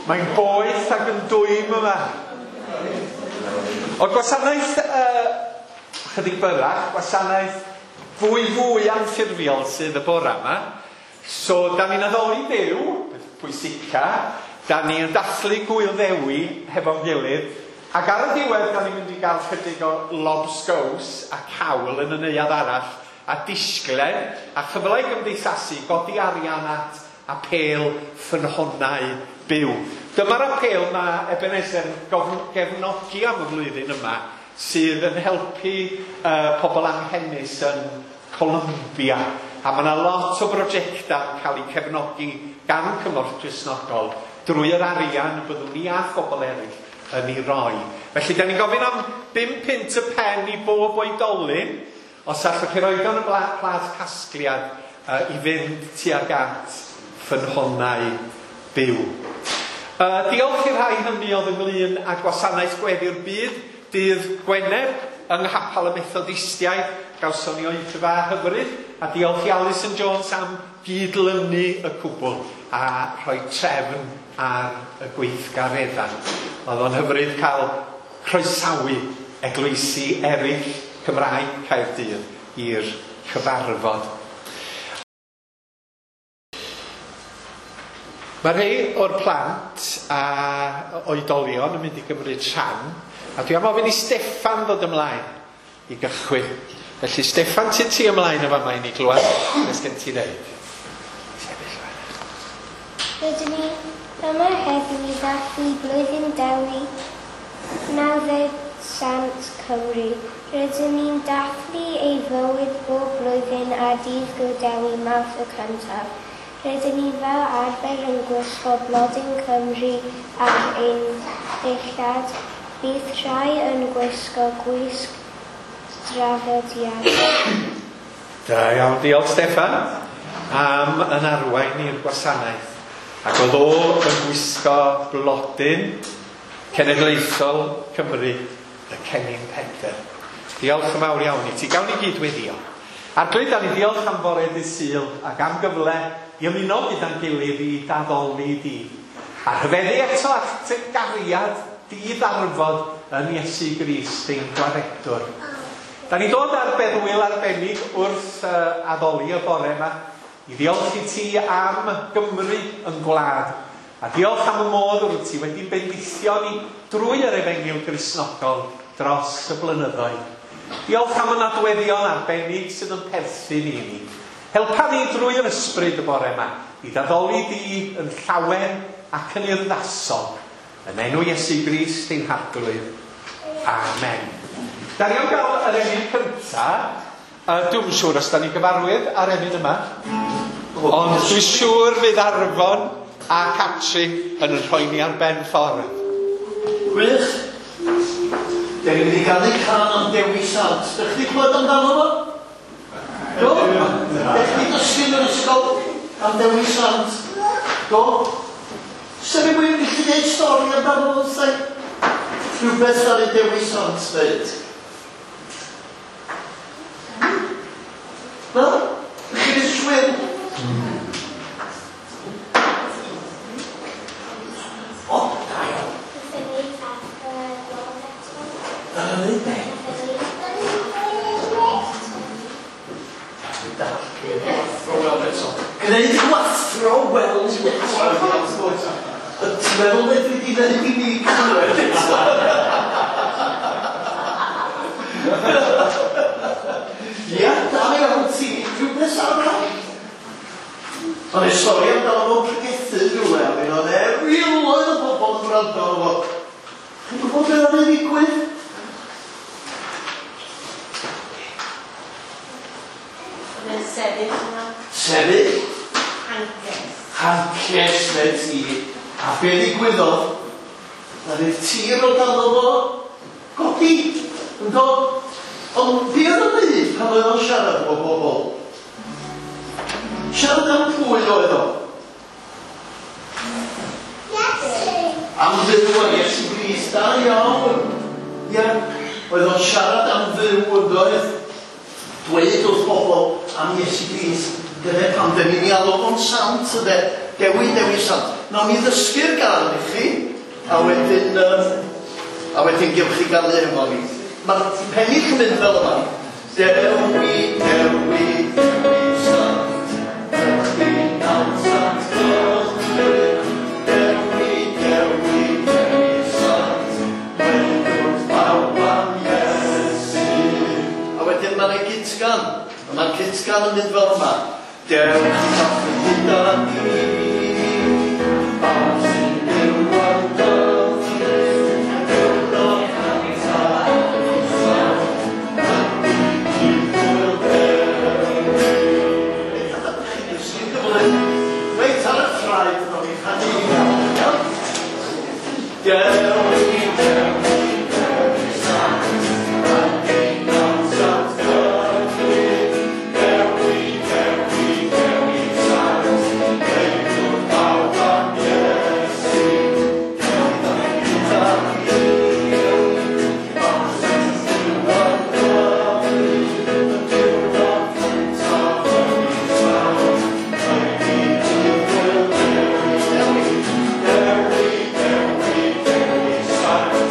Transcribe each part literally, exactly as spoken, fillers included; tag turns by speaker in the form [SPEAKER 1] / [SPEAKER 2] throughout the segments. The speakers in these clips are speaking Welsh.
[SPEAKER 1] Mae'n boeth ac yn dwym yma. O'r gwasanaeth uh, chydig byrach, gwasanaeth fwy fwy anffurfiol sydd y bora yma. So, da ni'n addoli Duw, pwysica, da ni'n dathlu Gŵyl Ddewi hefo'n gilydd, ac ar y diwedd da ni'n mynd i gael chydig o lobsgows a cawl yn y neuadd arall, a disglen, a chyfle i gymdeithasu, godi arian at apêl ffynhonnau byw. Dyma'r apêl mae Ebenezer yn gefnogi am y flwyddyn yma, sydd yn helpu uh, pobl anghenus yn Colombia. A mae yna lot o brosiectau yn cael eu cefnogi gan Cymorth Cristnogol drwy yr arian byddwn ni a phobl eraill yn ei roi. Felly, da ni'n gofyn am bum punt y pen i bob oedolyn, os allwch chi roed o'n y plas casgliad uh, i fynd tuag at ffynhonnau byw. Uh, diolch i'r rhai hynny oedd ynglyn â gwasanaeth gweddi'r byd dydd Gwener yng Nghapel y Methodistiaid. Gawson ni oedfa hyfryd, a diolch i Alison Jones am gydlynu y cwbl a rhoi trefn ar y gweithgareddau. Oedd o'n hyfryd cael croesawu eglwysi eraill Cymraeg Caerdydd i'r cyfarfod. Mae rhai o'r plant a oedolion yn mynd i gymryd rhan, a dwi am ofyn i Steffan ddod ymlaen i gychwyn. Felly Steffan, ti ti ymlaen y fama i ni glywed beth gen ti ddeud.
[SPEAKER 2] Rydyn ni yma heddiw i ddathlu blwyddyn Dewi nawddsant Sant Cymru. Rydyn ni'n dathlu ei fywyd bob blwyddyn ar dydd Gŵyl Dewi Mawrth y cyntaf. Rydyn ni fel arfer yn gwisgo blodyn Cymru ar ein dillad. Bydd rhai yn gwisgo gwisg draddodiadol.
[SPEAKER 1] Da iawn, diolch Steffan am yn arwain i'r gwasanaeth. Ac oedd o yn gwisgo blodyn cenedlaethol Cymru, y Cennin Pedr. Diolch yn fawr iawn i ti. Gawn ni gyd weddio. Arglwydd, da ni diolch am fore dydd Sul ac am gyfle i ymuno gyda'n gilydd i daddoli di. A rhyfeddu eto at y gariad di-ddarfod yn Iesu Grist ein gwaredwr. Da ni dod ar berwyl arbennig wrth uh, addoli y bore yma i ddiolch i ti am Gymru yn gwlad. A diolch am y modd wrth ti wedi bendithio ni drwy yr Efengyl Gristnogol dros y blynyddoedd. Diolch am y nodweddion arbennig sydd yn perthyn i ni. Helpa ni drwy yr ysbryd y bore yma i daddoli di yn llawen ac yn urddasol. Yn enw Iesu Grist ein Harglwydd. Amen. Da ni am gael yr emyn cynta. Uh, Dwi'm yn siŵr os da ni gyfarwydd ar emyn yma. Ond dwi'n siŵr fydd Arfon a Catri yn rhoi ni ar ben ffordd.
[SPEAKER 3] Gwych. Da ni'n mynd i ganu cân am Dewi Sant. Dych chi clywed amdano fo? Do? Dych chi dysgu yn yr ysgol am Dewi Sant? Do? Sa rhywun yn gallu dweud stori amdano fo, sai? Rhywbeth ar y Dewi Sant dweud. Wel, chi ddim siŵr. O, da iawn. Dyna ni be? Gwneud gwathro weld eto. Ti'n meddwl beth dwi wedi dweud i ni clywed eto? Ia, da iawn ti. Rhywbeth arall. O'n i stori amdano fo'n pregethu rhywle, a mi oedd e miloedd o bobl yn gwrando arno fo. Chi'n gwybod beth oedd yn digwydd?
[SPEAKER 4] Oedd e'n sefyll yma.
[SPEAKER 3] Sefyll?
[SPEAKER 4] Hances.
[SPEAKER 3] Hances, neu ti. A be ddigwyddodd? Na'r tir o dano fo godi, yn dod. Ond be oedd yn dweud pan oedd o'n siarad efo bobl? Siarad am pwy oedd o?
[SPEAKER 2] Iesu!
[SPEAKER 3] Am Dduw a Iesu Grist, da iawn. Ia, oedd o'n siarad am Dduw yn doedd. Dweud wrth bobl am Iesu Grist, Dyna pam dyn ni'n ei alw fo'n sant, yde. Dewi, Dewi Sant. Nawn ni ddysgu'r gân i chi, a wedyn, um, a wedyn gewch chi ganu efo ni. Mae'r pennill yn mynd fel yma. Dewi, Dewi, Dewi Sant, Dewi nawddsant Cymru. Dewi, Dewi, Dewi Sant, dweud wrth bawb am Iesu. A wedyn mae'n ei cytgan. A mae'r cytgan yn mynd fel yma. Dewch i ddathlu gyda ni, bawb sy'n byw ar Gymru, diwrnod cyntaf Sant, ydy dydd Gŵyl Dewi. Chi'n dysgu'n gyflym. Reit ar y traed, nawn ni chanu i mewn, iawn? Dewi, Dewi, Dewi Sant, ydy nawddsant Cymru. Dewi, Dewi, Dewi Sant, dweud wrth bawb am Iesu. Dewch i ddathlu gyda ni, bawb sy'n byw ar Gymru, y diwrnod cyntaf ydy Sant, ydy dydd Gŵyl Dewi. Dewi, Dewi, Dewi Sant, ydy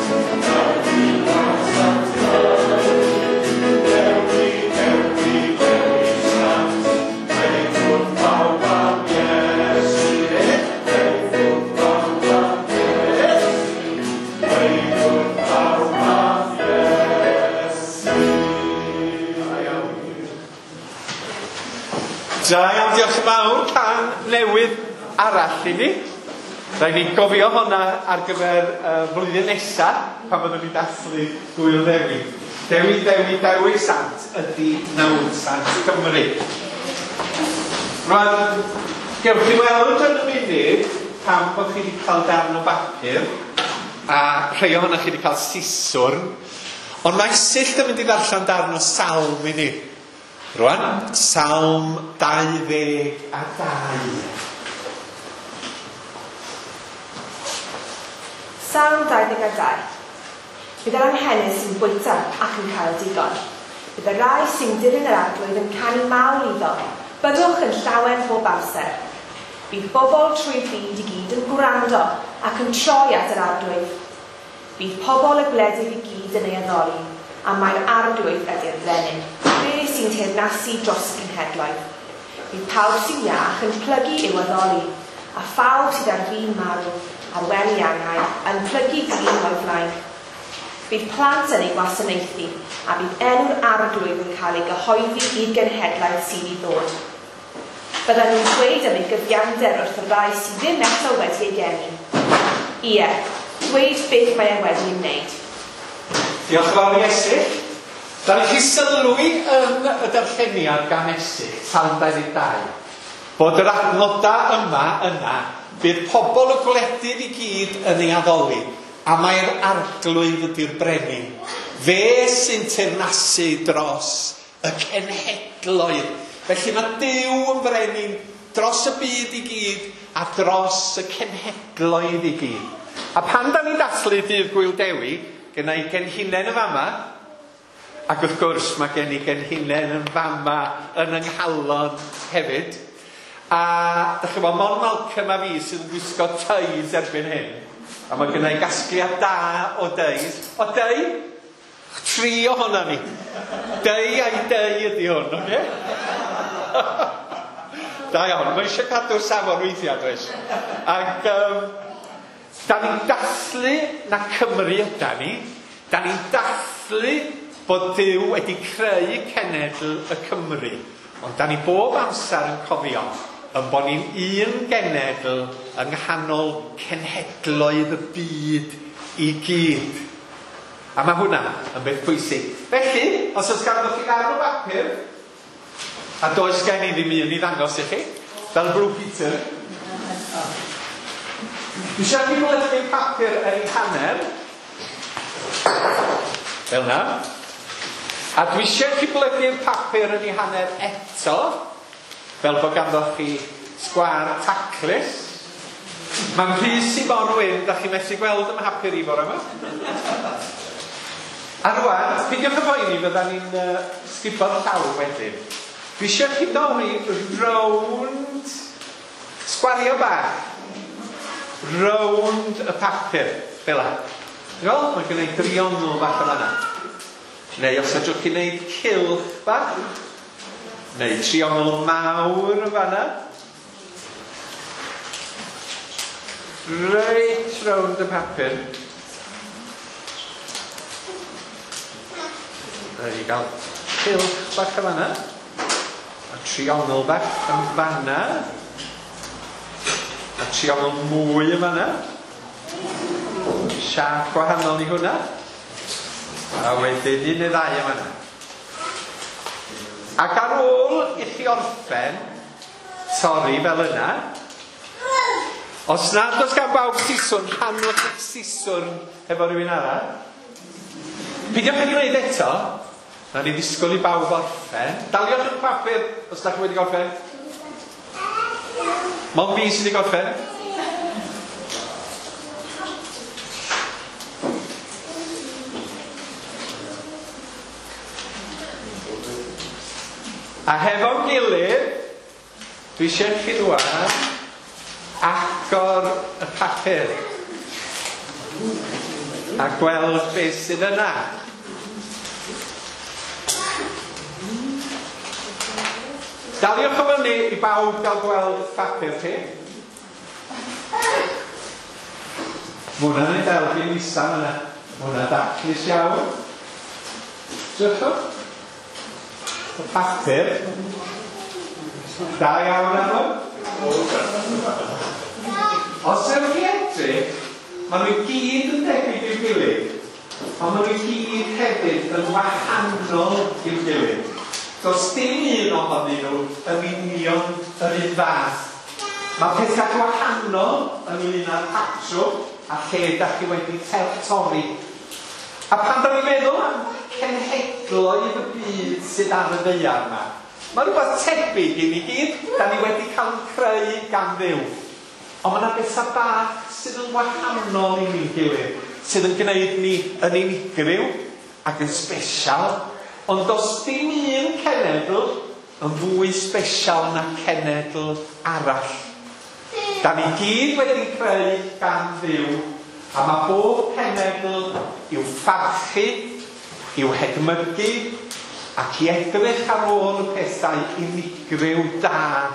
[SPEAKER 3] nawddsant Cymru. Dewi, Dewi, Dewi Sant, dweud wrth bawb am Iesu. Dweud wrth bawb am Iesu. Dweud wrth bawb am Iesu. Da iawn.
[SPEAKER 1] Da iawn, diolch yn fawr. Cân newydd arall i ni. Rhaid ni gofio hwnna ar gyfer uh, flwyddyn nesa, pan fyddwn ni dathlu Gŵyl Ddewi. Dewi, Dewi, Dewi Sant ydy nawddsant Cymru. Rwan, gewch chi weld yn y munud pam bod chi wedi cael darn o bapur, a rhai ohonoch chi wedi cael siswrn, ond mae Esyllt yn mynd i ddarllen darn o salm i ni. Rwan, Salm dau ddeg a dau.
[SPEAKER 5] Salm dau ddeg a dau. Bydd yr anghenus sy'n bwyta ac yn cael digon. Bydd y rai sy'n dilyn yr Arglwydd yn canu mawl iddo. Byddwch yn llawen bob amser. Bydd bobl trwy'r byd i gyd yn gwrando ac yn troi at yr Arglwydd. Bydd pobl y gwledydd i gyd yn ei addoli, a mae'r Arglwydd ydy'r brenin, fe sy'n teyrnasu dros y cenhedloedd. Bydd pawb sy'n iach yn plygu i'w addoli, a phawb sydd ar fin marw, ar wely angau, yn plygu glin o'i flaen. Bydd plant yn ei gwasanaethu, a bydd enw'r Arglwydd yn cael ei gyhoeddi i'r genhedlaeth sydd i ddod. Byddan nhw'n dweud am ei gyfiawnder wrth y rai sydd ddim eto wedi ei geni. Ie, dweud beth mae e wedi ei wneud.
[SPEAKER 1] Diolch yn fawr i Esyllt. Da ni chi sylwi yn y darlleniad gan Esyllt, Salm dau ddeg dau, bod yr adnodau yma yna, bydd pobl y gwledydd i gyd yn ei addoli, a mae'r Arglwydd ydy'r brenin. Fe sy'n teyrnasu dros y cenhedloedd. Felly mae Duw yn brenin dros y byd i gyd a dros y cenhedloedd i gyd. A pan da ni'n dathlu dydd Gŵyl Dewi, genna i genhinen yn fama, ac wrth gwrs mae gen i genhinen yn fama yn yng nghalon hefyd. A dach chi'n gwbod, Mon Malcolm a fi sydd yn gwisgo teis erbyn hyn. A mae gen i gasgliad da o deis. O dei? Tri ohono ni. Dei a'i dei ydy hwn, oce? Da iawn, mae eisiau cadw'r safon weithiau, does? Ac um, da ni'n dathlu na Cymru yda ni. Da ni'n dathlu bod Duw wedi creu cenedl y Cymru. Ond da ni bob amser yn cofio yn bod ni'n un genedl yng nghanol cenhedloedd y byd i gyd. A mae hwnna yn beth pwysig. Felly, os oes ganddo chi ddarn o bapur, a does gen i ddim un i ddangos i chi, fel Blue Peter. Dwi eisiau chi blygu papur yn ei hanner, fel na. A dwi eisiau chi blygu'r papur yn ei hanner eto, fel bod ganddo chi sgwâr taclus. Mae'n rhys i mor wyn, da chi methu gweld ym mhapur i bore yma. A rwan, peidiwch â phoeni, fydda ni'n uh, sgubo'r llawr wedyn. Dwi eisiau chi dorri rownd sgwario bach. Rownd y papur, fel la. Ti'n mae'n gwneud driongl bach o fanna. Neu os ydych chi'n gwneud cylch bach, neu triongl mawr o fanna. Reit rownd y papur. Rhaid i gael cylch bach o fanna. A triongl bach yn fanna. A triongl mwy yn fanna. Siâp gwahanol i hwnna. A wedyn un neu ddau yn fanna. Ac ar ôl i chi orffen torri fel yna, os nad oes gan bawb siswrn, rhannwch eich siswrn efo rhywun arall. Peidiwch â gwneud eto, na ni ddisgwyl i bawb orffen. Daliwch eich papur os da chi wedi gorffen. Mond fi sydd wedi gorffen. A hefo'n gilydd, dwi eisiau chi rŵan agor y papur a gweld beth sydd yna. Daliwch o fyny i bawb gael gweld y papur chi. Mae hwnna'n ei ddel fi'n isa yna. Mae hwnna'n daclus iawn. Drychwch. Y papur. Da iawn arno. Os yw'ch chi edrych, maen nhw i gyd yn debyg i'w gilydd, ond maen nhw i gyd hefyd yn wahanol i'w gilydd. Does dim un ohonyn nhw yn union yr un fath. Mae pethau gwahanol ynglyn â'r patrwm a lle da chi wedi torri. A pan da ni'n meddwl am cenhedloedd y byd sydd ar y ddaear yma, mae rhywbeth tebyg i ni gyd, da ni wedi cael ein creu gan Dduw. Ond mae yna bethau bach sydd yn wahanol i ni'n gilydd, sydd yn gwneud ni yn unigryw ac yn sbesial. Ond does dim un cenedl yn fwy sbesial na cenedl arall. Da ni gyd wedi creu gan Dduw, a mae bob cenedl i'w pharchu, i'w hedmygu, ac i edrych ar ôl y pethau unigryw da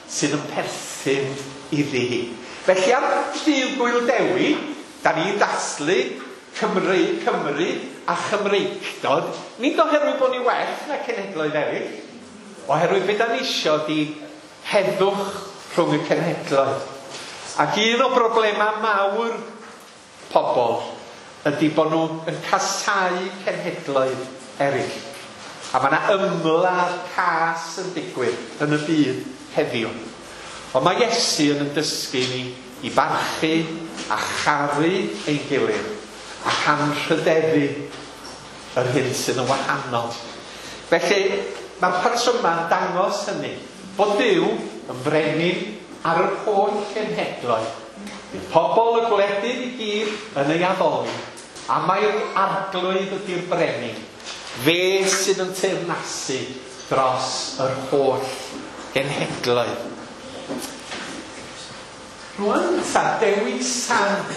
[SPEAKER 1] sydd yn perthyn iddi hi. Felly ar ddydd Gŵyl Dewi, da ni'n dathlu Cymru, Cymru a Chymreictod, nid oherwydd bod ni well na cenhedloedd eraill, oherwydd be da ni isio di heddwch rhwng y cenhedloedd. Ac un o broblemau mawr pobl ydy bod nhw yn casáu cenhedloedd eraill. A mae yna ymladd cas yn digwydd yn y byd heddiw. Ond mae Iesu yn dysgu ni i barchu a charu ein gilydd ac anrhydeddu yr hyn sydd yn wahanol. Felly mae'r patrymau'n dangos hynny, bod Duw yn frenin ar yr holl cenhedloedd. Bydd pobl y gwledydd i gyd yn ei addoli, a mae'r arglwydd ydy'r brenin. Fe sydd yn teyrnasu dros yr holl genhedloedd. Rwan ta, Dewi Sant.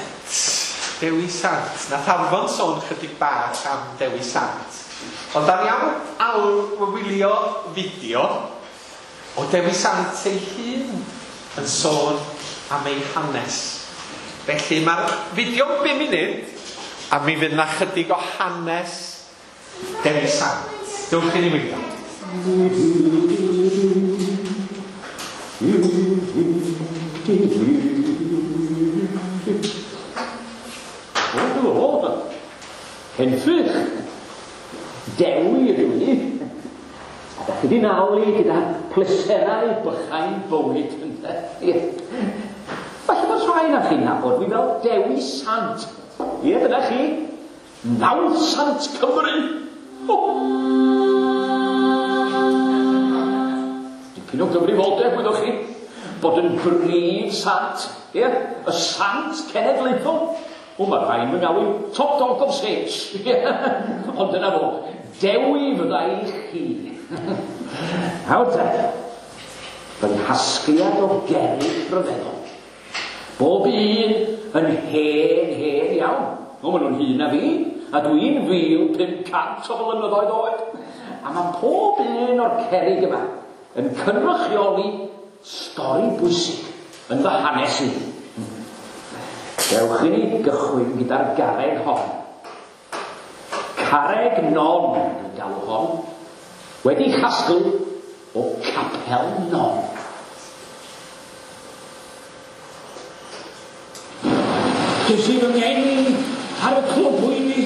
[SPEAKER 1] Dewi Sant. Nath Arfon sôn chydig bach am Dewi Sant. Ond da ni am alw wylio fideo o Dewi Sant ei hun yn sôn am ei hanes. Felly mae'r fideo'n bum munud, a mi fydd na chydig o hanes Dewi Sant. Dewch i ni wylio.
[SPEAKER 6] O, henffych, Dewi ydw i. A da chi di nawli gyda pleserau bychain bywyd ynde. Falle bod rhai na chi'n nabod fi fel Dewi Sant. Ie, dyna chi. Nawdd Sant Cymru. Oh. Dipyn o gyfrifoldeb, wyddoch chi, bod yn brif sant, ie, y sant cenedlaethol. O, mae rhain yn galw top dog of saints. Ond dyna fo, Dewi fydda i chi. Nawr te, fy nghasgliad o gerrig rhyfeddol. Bob un yn hen, hen iawn. O, maen nhw'n hŷn na fi, a dwi'n fil pum cant o flynyddoedd oed. A mae pob un o'r cerrig yma yn cynrychioli stori bwysig yn fy hanes i. Dewch i ni gychwyn gyda'r garreg hon. Carreg Non, dwi'n galw hon, wedi chasglu o Capel Non. Ges i fy ngeni ar y clogwyni,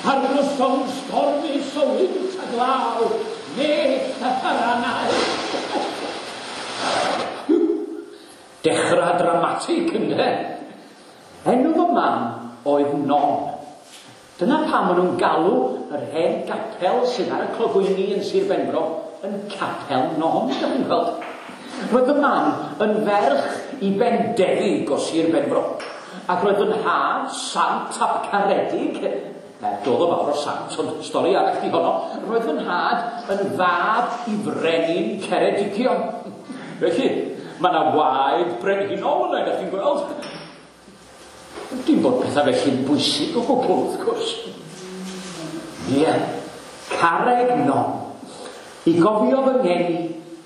[SPEAKER 6] ar noson stormus o wynt a glaw, mellt a tharanau. Dechrau dramatig, ynde? Enw fy mam oedd Non. Dyna pam maen nhw'n galw yr hen gapel sydd ar y clogwyni yn Sir Benfro yn Capel Non, dych chi'n gweld. Roedd fy mam yn ferch i Bendefig o Sir Benfro. Ac roedd fy nhad, Sant ap Caredig, er doedd o fawr o sant, ond stori arall di honno, roedd fy nhad yn fab i frenin Ceredigion. Felly, mae yna waed brenhinol yna, ydych chi'n gweld. Dim bod pethau felly'n bwysig o gwbl, wrth gwrs. Ie, Carreg Non, i gofio fy ngeni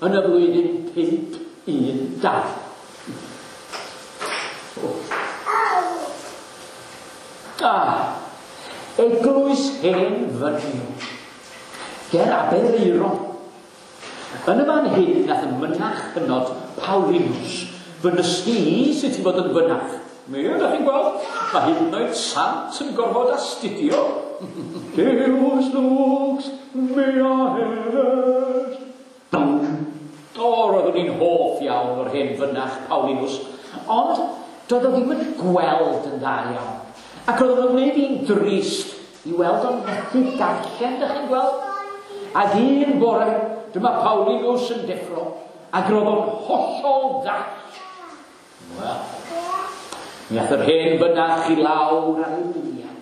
[SPEAKER 6] yn y flwyddyn pump un dau. Ah, eglwys hen Fynyw, ger Aberaeron. Yn y fan hyn nath y mynach hynod Paulinus fy nysgu i sut i fod yn fynach. Mi ydych chi'n gweld, mae hyd yn oed sant yn gorfod astudio. Deus lux mea est. O, roeddwn i'n hoff iawn o'r hen fynach Paulinus, ond doedd o ddim yn gweld yn dda iawn. Ac roedd o'n gwneud i'n drist i weld o'n methu darllen, dych chi'n gweld? Ac un bore, dyma Paulinus yn deffro, ac roedd o'n hollol ddall. Wel, mi ath yr hen fynach i lawr ar ei liniau,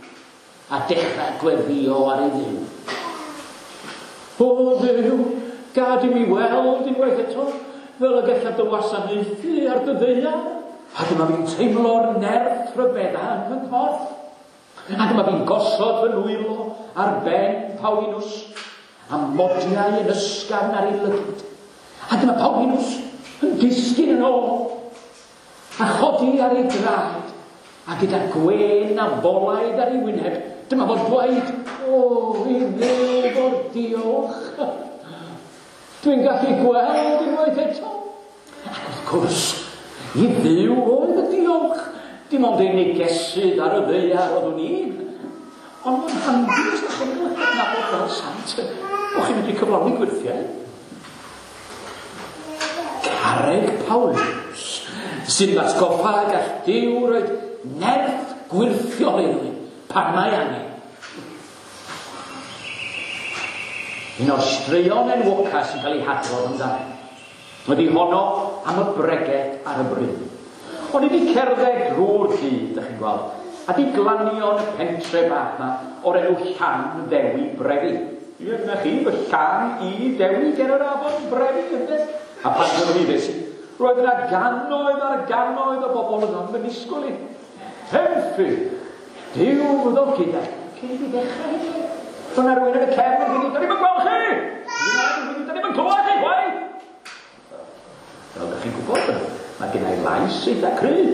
[SPEAKER 6] a dechrau gweddio ar ei dduw. O Dduw, gad i mi weld unwaith eto, fel y gallaf dy wasanaethu ar dy ddaear. A dyma fi'n teimlo'r nerth rhyfedda yn fy nghorff. A dyma fi'n gosod fy nwylo ar ben Paulinus, a modiau yn ysgafn ar ei lygad. A dyma Paulinus yn disgyn yn ôl, a chodi ar ei draed, a gyda gwên a bolaidd ar ei wyneb, dyma fo'n dweud, o, i Dduw fo'r diolch. Dwi'n gallu gweld unwaith eto. Ac wrth gwrs, i Dduw oedd y diolch. Dim ond ei negesydd ar y ddaear oeddwn i. Ond mae'n handi os ydych chi'n cael eich adnabod fel sant, bo chi'n medru cyflawni gwyrthiau. Carreg Paulinus, sy'n atgoffa gall Duw roed nerth gwyrthiol i rywun pan mae angen. Un o'r straeon enwoca sy'n cael ei hadrodd amdano. Wedi honno am y bregeth ar y bryn. O'n i wedi cerdded drwy'r dydd, dych chi'n gweld, a di glanio yn y pentre bach yma o'r enw Llan Ddewi Brefi. Ie, dyna chi, fy Llan i Dewi ger yr afon Brefi, ynde? A pan gyrhaeddes i, roedd yna gannoedd ar gannoedd o bobl yno yn fy nisgwyl i. Henffych, Duw fyddo gyda, cyn i fi ddechrau hyd. Roedd yna rhywun yn y cefn yn dweud, da ni'm yn gweld chi! Da ni'm yn clywed chi, chwaith! Fel ydych chi'n gwybod, mae gen i lais eitha cryf,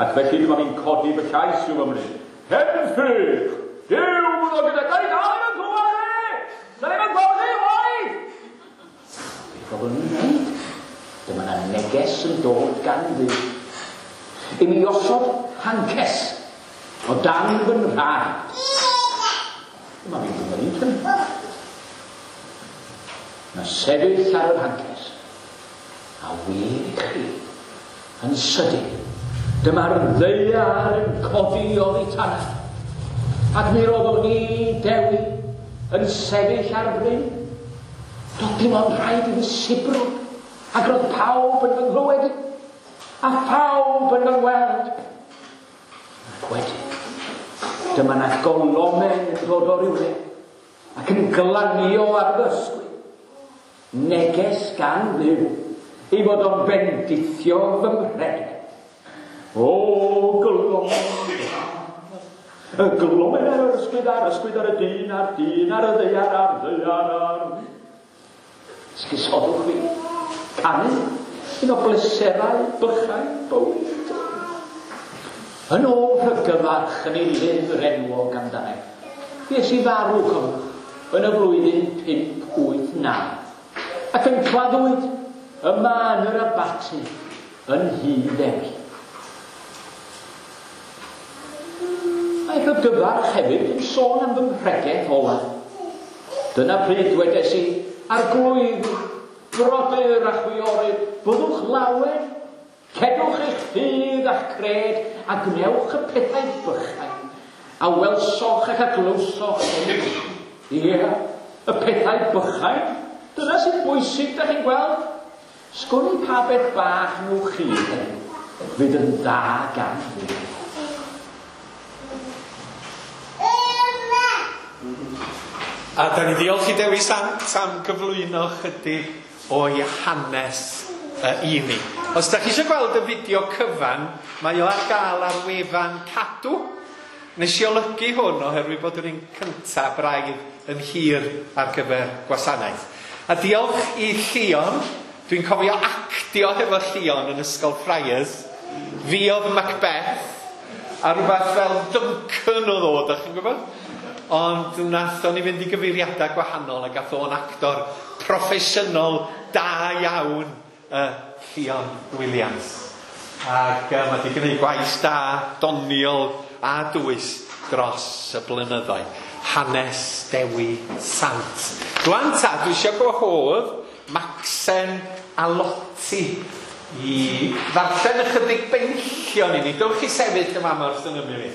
[SPEAKER 6] ac felly dyma fi'n codi fy llais i'w ymwneud. Henffych! Duw fyddo gyda, da ni dal ddim yn clywed chi! Da ni'm yn gweld chi, chwaith! Beth oeddwn i'n wneud? Dyma na neges yn dod gan Dduw. I mi osod hances o dan fy nhraed. Dyma fi'n gwneud hynny. Na sefyll ar yr hances. A wir i chi, yn sydyn, dyma'r ddaear yn codi oddi tanaf. Ac mi roeddwn i, Dewi, yn sefyll ar fryn. Doedd dim ond rhaid i fi sibrwd, ac roedd pawb yn fy nghlywed i, a phawb yn fy ngweld. Ac wedyn, dyma na golomen yn dod o rywle, ac yn glanio ar fy ysgwydd. Neges gan Dduw ei fod o'n bendithio fy mhregeth. O, glomen, y glomen ar yr ysgwydd a'r ysgwydd ar y dyn, a'r dyn ar y ddaear, a'r ddaear ar... Sgusodwch fi. Canu, un o bleserau bychain bywyd. Yn ôl rhygyfarch yn ei lyfr enwog amdano. Fues i farw, cofiwch, yn y flwyddyn pump wyth naw. Ac yn claddwyd yma yn yr abaty yn Nhŷ Ddewi. Mae rhygyfarch hefyd yn sôn am fy mhregeth ola. Dyna pryd dwedes i, Arglwydd, brodyr a chwiorydd, byddwch lawen, cedwch eich ffydd a'ch cred, a gwnewch y pethau bychain, a welsoch ac a glywsoch gen i. Ie, y pethau bychain, dyna sy'n bwysig, da chi'n gweld. Sgwn i pa beth bach nhw chi heddiw, fydd yn dda gan Dduw.
[SPEAKER 1] A da ni ddiolch i Dewi Sant am gyflwyno chydig o'i hanes uh, i ni. Os da chi eisiau gweld y fideo cyfan, mae o ar gael ar wefan Cadw. Nes i olygu hwn oherwydd bod yr un cyntaf braidd yn hir ar gyfer gwasanaeth. A diolch i Llion, dwi'n cofio actio hefo Llion yn Ysgol Friars. Fi oedd Macbeth, a rhywbeth fel Duncan oedd o, da chi'n gwybod? Ond nathon ni fynd i gyfeiriadau gwahanol a gath o'n actor proffesiynol da iawn, uh, Llion Williams. Ac uh, mae wedi gwneud gwaith da, doniol a dwys dros y blynyddoedd. Hanes Dewi Sant. Rwan ta, dwi eisiau gwahodd Macsen a Loti i ddarllen ychydig benillion i ni. Dewch i sefyll yma wrth yn ymyl i.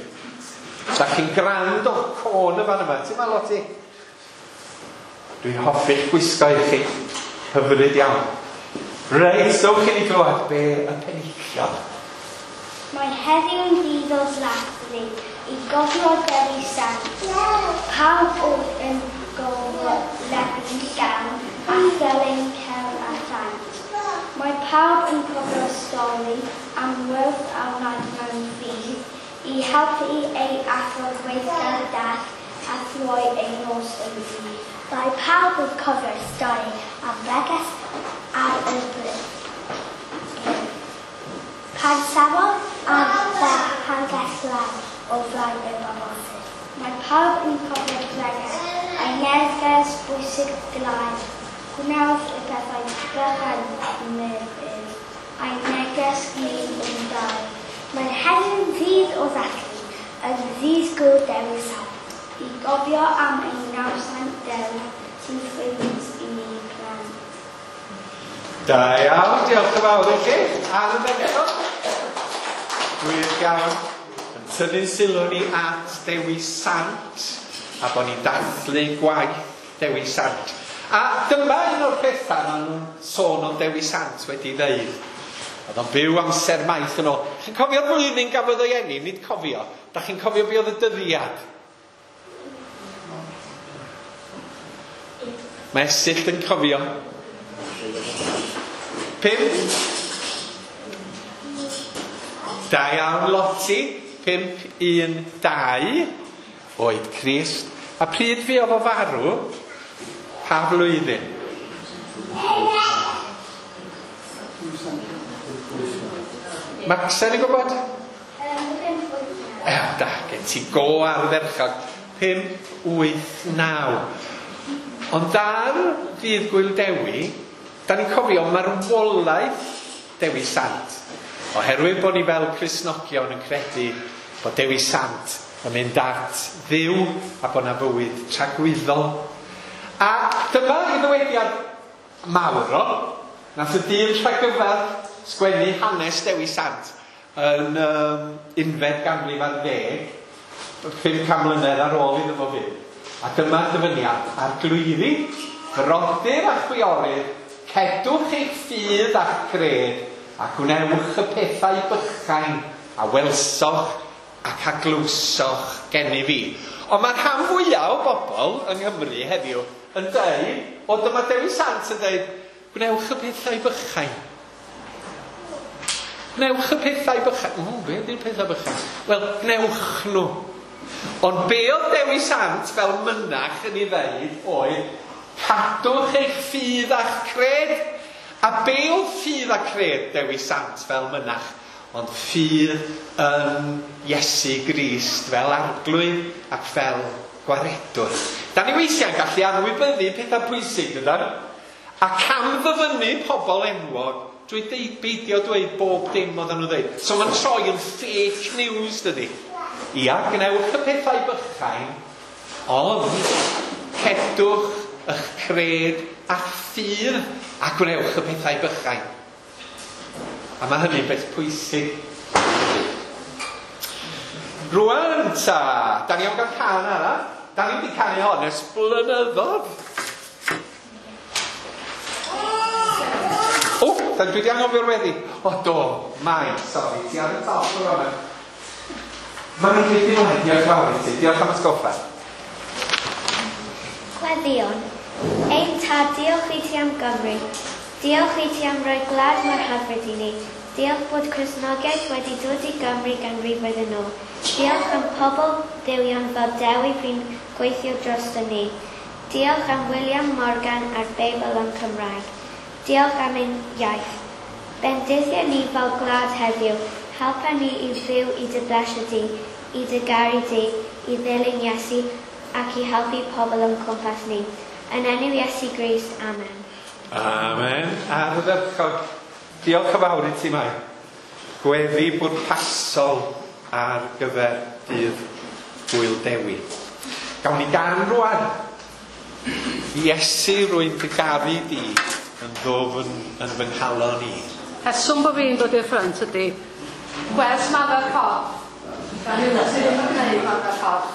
[SPEAKER 1] Sa chi'n grand o côn y fan yma. Ti'n ma, Loti? Dwi'n hoffi'ch gwisgo i chi. Hyfryd iawn. Reit, dewch i ni glywed be y penillion.
[SPEAKER 2] Mae heddiw'n ddydd o ddathlu i gofio Dewi Sant. Pawb oedd yn golygu llawn a thelyn cerdd a chant. Mae pawb yn cofio'r stori am wyrth a wnaeth mewn ffydd i helpu ei athro gweithgar dall a throi ei nos yn ddydd. Mae pawb yn cofio'r stori am bregeth ar y bryn. Pan safodd ar bregeth lawr o flaen y bobl. Mae pawb yn cofio'r bregeth a'i neges bwysig glaer. Gwnewch y pethau bychan medd ef, a'i neges ni yn dau. Mae heddiw'n ddydd o ddathlu, yn ddydd Gŵyl Dewi Sant, i gofio am ein nawddsant Dewi sy'n ffrind i ni plant.
[SPEAKER 1] Da iawn, diolch yn fawr i chi. Ardderchog. Gwych iawn. Yn tynnu sylw ni at Dewi Sant a bod ni'n dathlu gwaith Dewi Sant. A dyma un o'r pethau maen nhw'n sôn o Dewi Sant wedi ddeud. Oedd o'n byw amser maith yn ôl. Chi'n cofio'r flwyddyn gafodd o'i eni? Nid cofio. Da chi'n cofio be oedd y dyddiad? Mae Esyllt yn cofio. Pump. Da iawn, Loti. Pump, un, dau. Oed Crist. A pryd fuodd o farw? Pa flwyddyn? Macsen yn gwybod? E, da, gen ti go ardderchog. Pump, wyth, naw. Ond ar ddydd Gŵyl Dewi, da ni'n cofio marwolaeth Dewi Sant. Oherwydd bod ni fel Cristnogion yn credu bod Dewi Sant yn mynd at Dduw a bod na fywyd tragwyddol. A dyma i ddywediad mawr o. Nath y dyn rhagyfedd sgwennu hanes Dewi Sant yn um, unfed ganrif ar ddeg, pum can mlynedd ar ôl iddo fo fyw. A dyma'r dyfyniad: Arglwyddi, brodyr a chwiorydd, cedwch eich ffydd a'ch cred, a gwnewch y pethau bychain a welsoch ac a glywsoch gennyf fi. Ond mae'r rhan fwyaf o bobl yng Nghymru heddiw yn dweud, O dyma Dewi Sant yn dweud, gwnewch y pethau bychain. Gwnewch y pethau bychain. O, be ydy'r pethau bychain? Wel, gwnewch nhw. Ond be oedd Dewi Sant fel mynach yn ei ddeud oedd, cadwch eich ffydd a'ch cred. A be oedd ffydd a cred Dewi Sant fel mynach? Ond ffydd yn Iesu Grist fel arglwydd ac fel gwaredwr. Da ni weithiau'n gallu anwybyddu pethau pwysig, dydan? A cam ddyfynnu pobl enwog drwy deud, beidio dweud bob dim oedden nhw'n dweud. So mae'n troi yn fake news, dydy? Ia, gwnewch y pethau bychain, ond cedwch eich cred a'ch ffydd a gwnewch y pethau bychain. A mae hynny'n beth pwysig. Rwan ta, da ni am gael can arall. Da ni wedi canu hon ers blynyddoedd. O, da dwi wedi anghofio'r weddi. O, do, mai, sori, ti ar y top o'r hwnna. Mae'n rhaid i ymlaen, diolch fawr i ti. Diolch am atgoffa.
[SPEAKER 2] Gweddïon. Ein tad, diolch i ti am Gymru. Diolch i ti am roi gwlad mor hyfryd i ni. Diolch bod Cristnogaeth wedi dod i Gymru ganrifoedd yn ôl. Diolch am pobl dduwion fel Dewi fu'n gweithio drosto ni. Diolch am William Morgan a'r Beibl yn Cymraeg. Diolch am ein iaith. Bendithia ni fel gwlad heddiw. Helpa ni i fyw i dy blesio di, i dy garu di, i ddilyn Iesu ac i helpu pobl o'n cwmpas ni. Yn enw Iesu Grist, amen.
[SPEAKER 1] Amen. Ardderchog. Diolch yn fawr i ti, Mai. Gweddi bwrpasol ar gyfer dydd Gŵyl Dewi. Gawn ni gan rwan. Iesu, rwy'n dy garu di yn ddwfn yn fy nghalon i.
[SPEAKER 7] Rheswm bod fi'n dod i'r ffrynt ydy gwers maddau'r corff. Da ni sydd ddim yn gwneud maddau'r corff.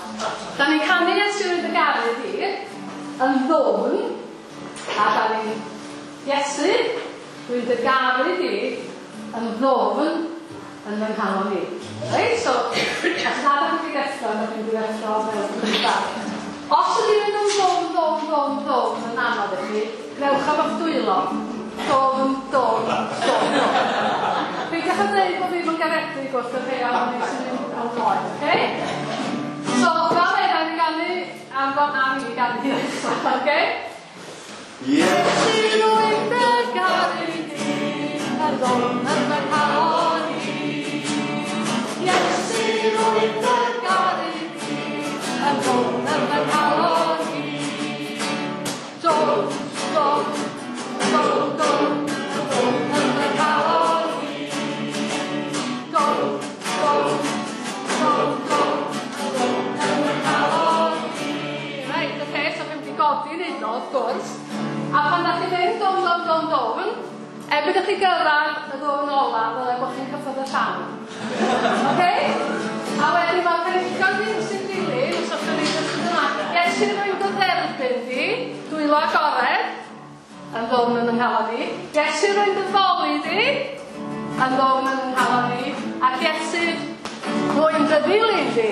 [SPEAKER 7] Da ni'n canu Iesu rwy'n dy garu di yn ddwfn, a da ni'n Iesu rwy'n dy garu di yn ddwfn yn fy nghalon i. Reit, so, os na da chi'n mynd i ddeffro, da chi'n mynd i ddeffro fel cyntaf. Os ydy'n mynd yn ddwfn, ddwfn, ddwfn, ddwfn yn anodd i chi, gnewch am eich dwylo. Dwfn, dwfn, dwfn, dwfn. Peidiwch â dweud bod fi'n garedig wrth y rhai ohono sy'n mynd yn oed, oce? So, fel hyn, ni'n ganu am fod am i ganu nesaf, oce? Iesu rwy'n dy garu di, yn ddwfn yn fy nghalon i. Iesu rwy'n dy garu di, yn ddwfn yn fy nghalon i. Dwfn, dwfn, dwfn, dwfn, yn ddwfn yn fy nghalon i. Dwfn, dwfn, dwfn, dwfn, yn ddwfn yn fy nghalon i. Reit, oce, so chi'n mynd i godi neud o, wrth gwrs. A pan da chi'n mynd dwfn, dwfn, dwfn, dwfn, erbyn i chi gyrraedd y ddwfn ola, ddyle bod chi'n cyffwrdd y llawn. Oce? A wedyn mae'r penillion ddim sy'n dilyn, os o'ch chi'n neud yn yma. Iesu rwy'n dy dderbyn di, dwylo agored, yn ddwfn yn nghalon i. Iesu rwy'n dy foli di, yn ddwfn yn nghalon i. Ac Iesu rwy'n dy ddilyn di.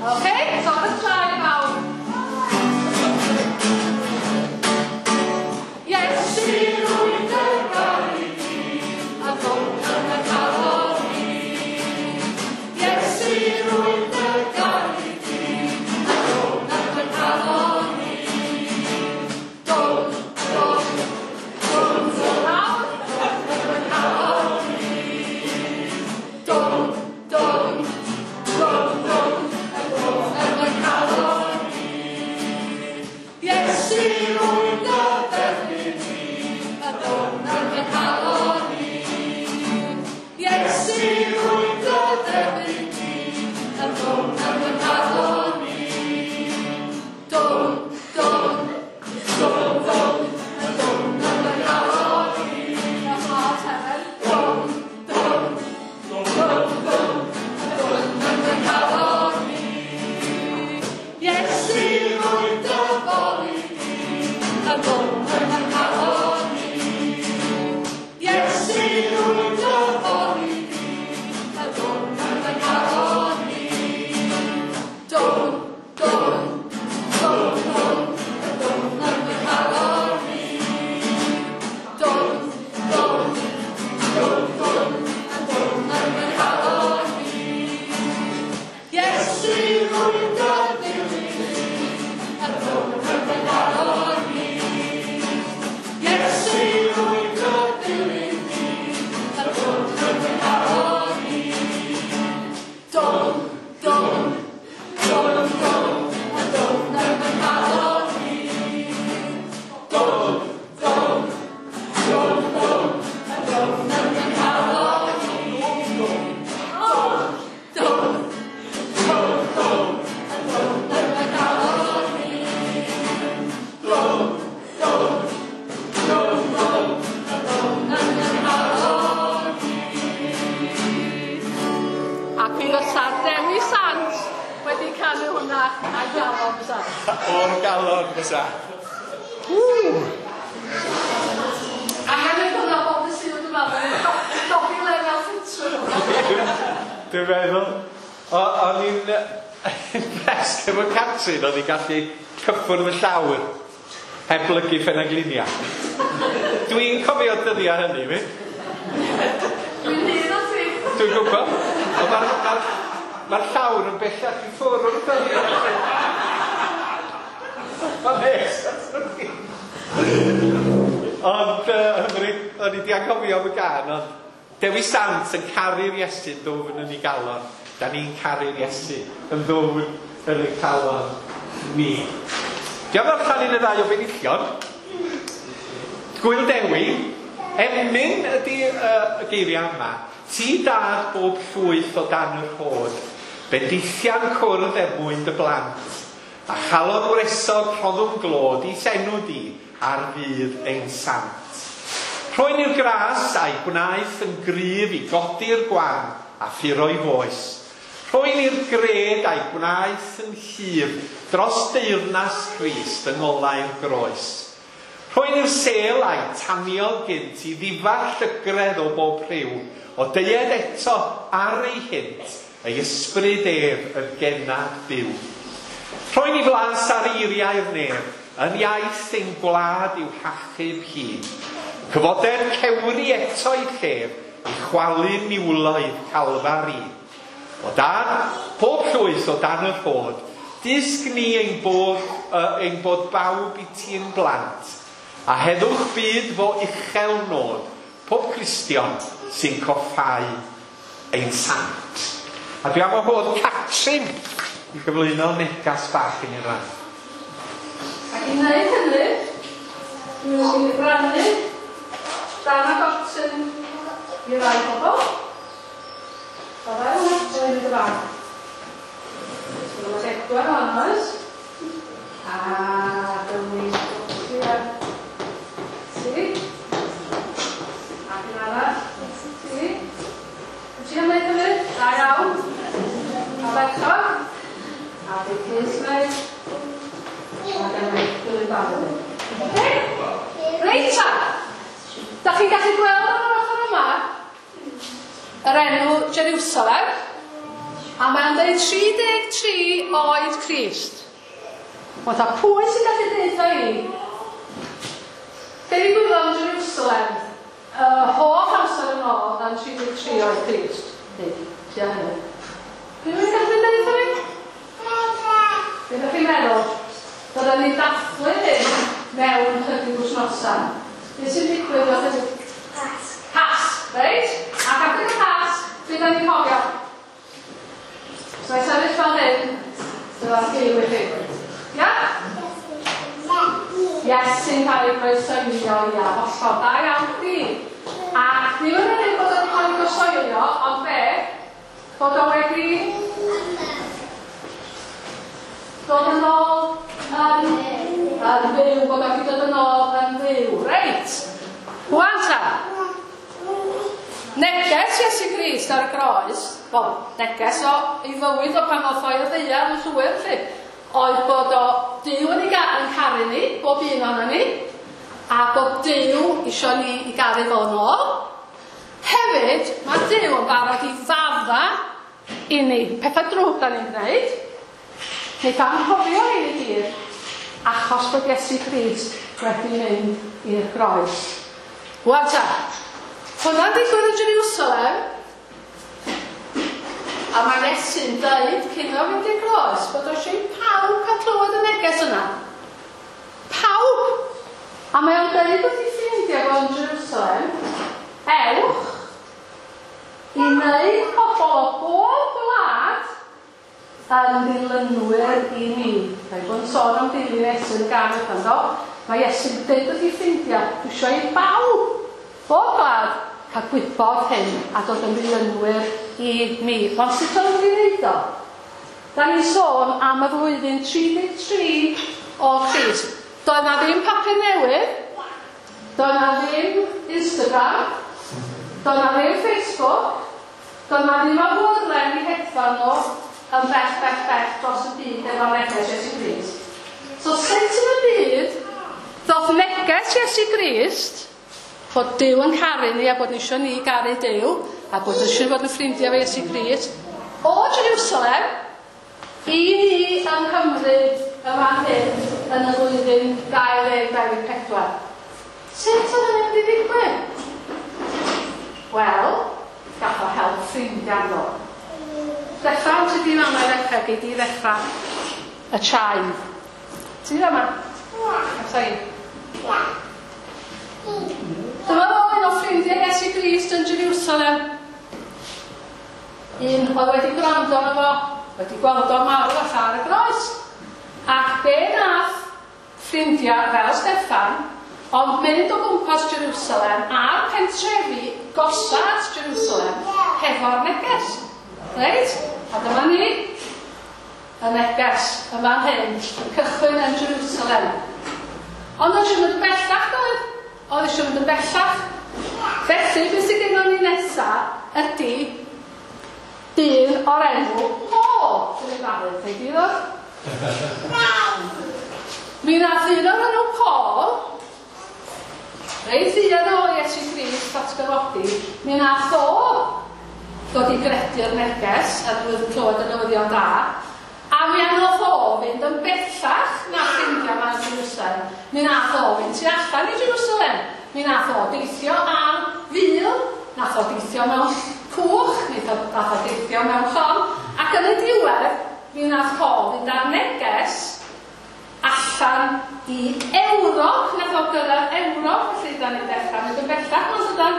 [SPEAKER 7] Oce? So ar y traed mawr. Iesu rwy'n dy garu di, yn ddwfn yn fy nghalon i. Iesu rwy'n dy garu di, yn ddwfn yn fy nghalon i. Dwfn, dwfn, dwfn, dwfn, lawr, yn fy nghalon i. Dwfn, dwfn, dwfn, dwfn, yn ddwfn yn fy nghalon i. Iesu rwy'n dy dderbyn di, yn ddwfn yn fy nghalon i. Iesu rwy'n dy dderbyn di, yn ddwfn yn fy nghalon i. Dwfn, dwfn, dwfn, dwfn, yn ddwfn yn fy nghalon i. Dwfn, dwfn, dwfn, dwfn, yn ddwfn yn fy nghalon i. Iesu rwy'n dy foli di, yn ddwfn yn fy nghalon i. Iesu rwy'n dy foli di, Ac mi fysa Dewi Sant wedi canu hwnna a'i galon fysa.
[SPEAKER 1] O'r galon fysa. Ww!
[SPEAKER 7] A hefyd hwnna bob dydd Sul dwi'n meddwl. Dobi lefel ffitrwydd.
[SPEAKER 1] Dwi'n meddwl. O'n i'n impressed efo Catrin, oedd hi'n gallu cyffwrdd y llawr heb blygu ffenaglinia. Dwi'n cofio dyddiau hynny, fi.
[SPEAKER 7] Dwi'n hyn o ti.
[SPEAKER 1] Dwi'n gwybod. Ond mae'r ma ma llawr yn bellach i ffwrdd o'r dyddiau. Mae'n nes. Ond, uh, hyfryd, o'n i di anghofio am y gân, ond Dewi Sant yn caru'r Iesu yn ddwfn yn ei galon. Da ni'n caru'r Iesu yn ddwfn yn ei calon ni. Diolch allan un y ddau o benillion. Gwyl Dewi, emyn ydy uh, y geiriau yma. Ti dad bob llwyth o dan yr hod, bendithian cwrdd er mwyn dy blant, a chalon wresog rhoddwn glod i enw di ar fydd ein sant. Rhoen i'r gras a'i gwnaeth yn gryf i godi'r gwan a ffuro'i foes. Rhoen i'r gred a'i gwnaeth yn llif dros deyrnas Crist yng ngolau'r groes. Rhoen i'r sel a'i taniodd gynt i ddifa llygredd o bob rhyw, o deued eto ar ei hynt, ei ysbryd ef yn gennad byw. Rhoen i flas ar eiriau'r nef, yn iaith ein gwlad i'w hachub hi. Cyfoder cewri eto i llef, i chwalu niwloedd Calfari. O dan, pob llwyth o dan yr hod, dysg ni ein bod, uh, ein bod bawb i ti'n blant, a heddwch byd fo uchel nod, pob Cristion sy'n coffau ein sant. A dwi am wahodd Catrin i gyflwyno negas bach i ni'n rhan.
[SPEAKER 7] Ac i wneud hynny, dwi'n mynd i rannu dan a gotyn i rai bobl. O ddau hwnna, dwi'n mynd y fan. So mae bedwar o'n oes. A dyma ni ar ti. Ac un arall, ti. Wyt ti am wneud hynny? Da iawn. A berchog. A bydd Cys wneud. A dyma ni dilyn barod. Oce? Reit ta! Da chi'n gallu gweld ar yr ochr yma yr enw Jerusalem, a mae'n dweud tri deg tri oed Crist. Wel, ta pwy sy'n gallu deud i? Be ddigwyddodd yn Jerusalem y holl amser yn ôl yn tri deg tri oed Crist? Neu, tua hynny. Rhywun yn gallu deud i? Be ydych chi'n meddwl? Byddwn ni'n dathlu hyn mewn chydig wythnosau. Be sy'n digwydd oedd hynny?
[SPEAKER 2] Pasg.
[SPEAKER 7] Pasg, reit? Ac adeg y Pasg, be da ni'n cofio? So i sefyll fel hyn, dyma'r giw i chi. Ia? Iesu'n cael ei groeshoelio, ia, hollol, da iawn chdi. Ac ddim yn unig bod o'n cael ei groeshoelio, ond be? Bod o wedi dod yn ôl yn, yn fyw, bod o wedi dod yn ôl yn fyw. Reit, wan ta. Neges Iesu Grist ar y groes, wel, neges o ei fywyd o pan ddoth o i'r ddaear yn llwyr, felly, oedd bod o Duw yn ei ga- yn caru ni, bob un ohonon ni, a bod Duw isio ni i garu fo yn ôl. Hefyd, mae Duw yn barod i fadda i ni pethau drwg da ni'n gwneud. Wneith anghofio hyn i gyd, achos bod Iesu Grist wedi mynd i'r groes. Wan ta, hwnna'n digwydd yn Jerusalem, a mae Iesu'n dweud cyn o fynd i'r groes bod o eisiau i pawb cael clywed y neges yna. Pawb! A mae o'n dweud wrth ei ffrindiau fo yn Jerusalem, ewch i wneud pobl o bob gwlad yn ddilynwyr i mi. Mae bod yn sôn am dilyn Iesu yn y gân yma, do? Mae Iesu'n dweud wrth ei ffrindiau, dwi eisiau i bawb, bob gwlad, cael gwybod hyn a dod yn ddilynwyr i mi. Ond sut o'n nhw'n wneud o? Da ni'n sôn am y flwyddyn tri deg tri o Crist. Doedd na ddim papur newydd, doedd na ddim Instagram, doedd na ddim Facebook, Doedd na ddim awyren i hedfan nhw yn bell, bell, bell dros y byd efo'r neges Iesu Grist. So sut yn y byd ddoth neges Iesu Grist bod Duw yn caru ni a bod ni eisiau ni garu Duw a bod eisiau bod yn ffrindiau efo Iesu Grist o Jerusalem i ni yng Nghymru y fan hyn yn y flwyddyn dau ddeg dau ddeg pedwar. Sut oedd hynny'n mynd i ddigwydd? Wel, gath o help ffrindiau ddo. Steffan, ti di fama i ddechrau, gei di ddechrau y chime. Ti di fama? Ia.
[SPEAKER 2] Ia.
[SPEAKER 7] Dyma fo un o ffrindiau Iesu Grist yn Jerusalem. Un oedd wedi gwrando arno fo, wedi gweld o marw allan ar y groes. Ac be nath ffrindiau fel Steffan, ond mynd o gwmpas Jerusalem a'r pentrefi gosa at Jerusalem hefo'r neges. Reit? A dyma ni, y neges yn fan hyn, yn cychwyn yn Jerusalem. Ond oedd eisiau mynd yn bellach, doedd? Oedd eisiau mynd yn bellach. Felly, beth sydd gennym ni nesaf ydy dyn o'r enw Paul. Dwi'n ei farw, dweud i ddod? Mi nath un o'r enw Paul, reit fuan o Iesu Grist atgyfodi, mi nath o ddod i gredu'r neges a dwi wedi clywed y newyddion da, a mi anodd o fynd yn bellach na ffrindiau yma yn Jerusalem. Mi nath o fynd tu allan i Jerusalem. Mi nath o deithio ar fil, nath o deithio mewn cwch, mi nath o deithio mewn llong, ac yn y diwedd, mi nath Paul fynd ar neges allan i Ewrop. Nath o gyrraedd Ewrop, felly da ni'n dechrau mynd yn bellach, ond ydan,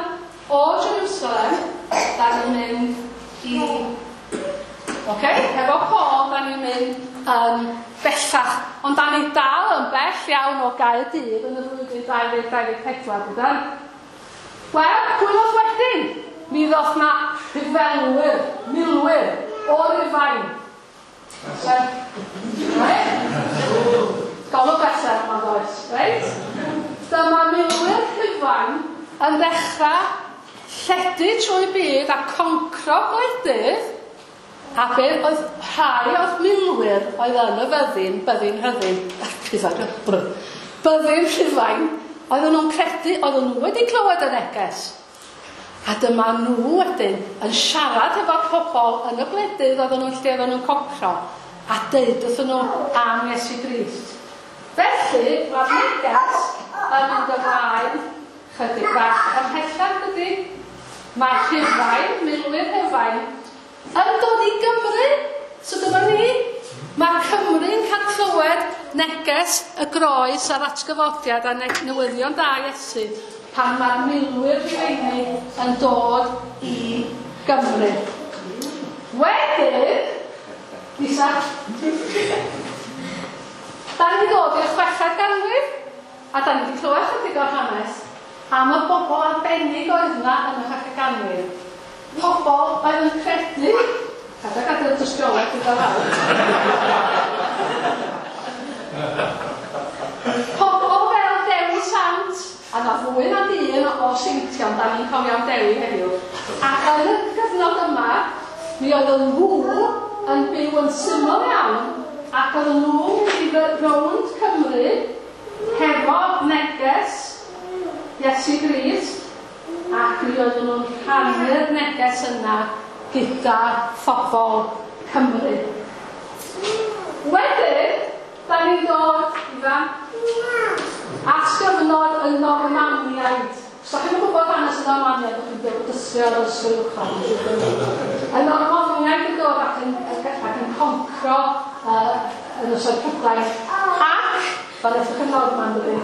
[SPEAKER 7] o Jerusalem, da ni'n mynd i... Ok, efo Paul, da ni'n mynd yn bellach. Ond da ni dal yn bell iawn o Gaerdydd yn y flwyddyn dau ddeg dau ddeg pedwar, dydan? Wel, pwy ddoth wedyn? Mi ddoth na rhyfelwyr, milwyr, o Rufain. Right? Golwg bleser yma does, reit? Dyma milwyr Rhufain yn dechrau lledu trwy byd a concro gwledydd, a be oedd rhai o'r milwyr oedd yn y fyddin, byddin rhyddin, byddin Rhufain, oedden nhw'n credu, oedden nhw wedi clywed y neges. A dyma nhw wedyn yn siarad efo'r pobl yn y gwledydd oedden nhw'n lle oedden nhw'n concro, a deud wrthyn nhw am Iesu Grist. Felly, mae'r neges yn mynd ymlaen chydig bach ymhellach, dydy. Mae Rhufain, milwyr Rhufain, yn dod i Gymru. So dyma ni. Mae Cymru'n cael clywed neges y groes a'r atgyfodiad a newyddion da Iesu pan mae'r milwyr Rhufeinig yn dod i Gymru. Wedyn, Lisa, da ni'n dod i'r chweched ganrif, a da ni wedi clywed chydig o'r hanes am y bobl arbennig oedd yna yn y chweched ganrif. Pobl oedd yn credu, cada gadael dystiolaeth gyda fawr. Pobl fel Dewi Sant, a na fwy na dyn o seintion, da ni'n cofio am Dewi heddiw. Ac yn y gyfnod yma, mi oedd nhw yn byw yn syml iawn, ac oedd nhw'n mynd i rownd Cymru hefo neges Iesu Grist, ac mi oedden nhw'n rhannu'r neges yna gyda phobl Cymru. Wedyn, da ni'n dod, Ifan, at gyfnod y Normaniaid. Os da chi'n gwybod hanes y Normaniaid, ydych chi'n dod dysgu ar ysgol uwchradd. Y Normaniaid yn dod ac yn, ac yn concro uh, yn ystod Prydain. Ac, fel ydych chi'n Norman, dydy.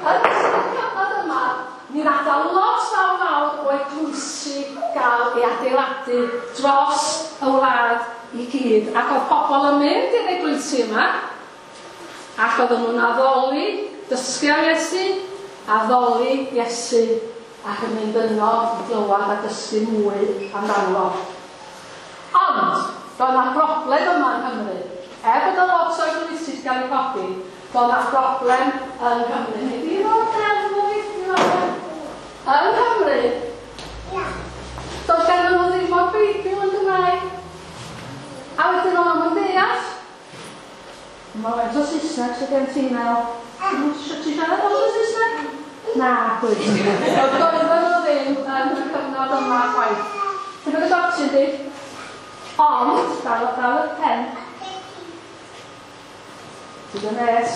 [SPEAKER 7] Yn ystod y cyfnod yma, ni'n adael lot fawr fawr o eglwysi gael ei adeiladu dros y wlad i gyd. Ac oedd pobl yn mynd i'r eglwysi yma, ac oedden nhw'n addoli, dysgu am Iesu, addoli Iesu, ac yn mynd yno i glywed a dysgu mwy amdano fo. Ond, roedd yna broblem yma yng Nghymru. Er bod y lot o eglwysi wedi cael eu codi, roedd yna broblem yng Nghymru. Nid i ddod yn mwy, yng Nghymru, Saesneg, so gen ti'n meddwl, ti siarad lot o Saesneg? Na, gwyth. Oedd doedden nhw ddim yn y cyfnod yma chwaith. Ti'n bod y gotyn di? Ond, dal, dal y pen. Ti'n yn nes.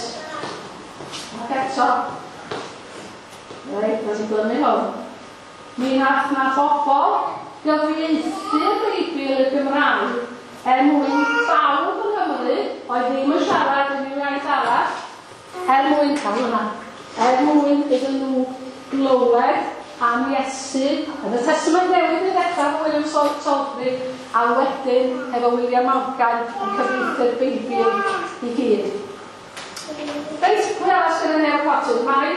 [SPEAKER 7] Ac eto. Reit, na ti'n glynu hwn. Mi nath na bobl gyfieithu'r Beibl y Gymraeg er mwyn bawb yng Nghymru oedd ddim yn siarad unrhyw iaith arall, er mwyn cael hwnna, er mwyn iddyn nhw glywed am Iesu yn y Testament Newydd i ddechrau efo William Salisbury a wedyn efo William Morgan yn cyfieithu'r Beibl i gyd. Reit, pwy arall sydd yn newid potyn? Mai?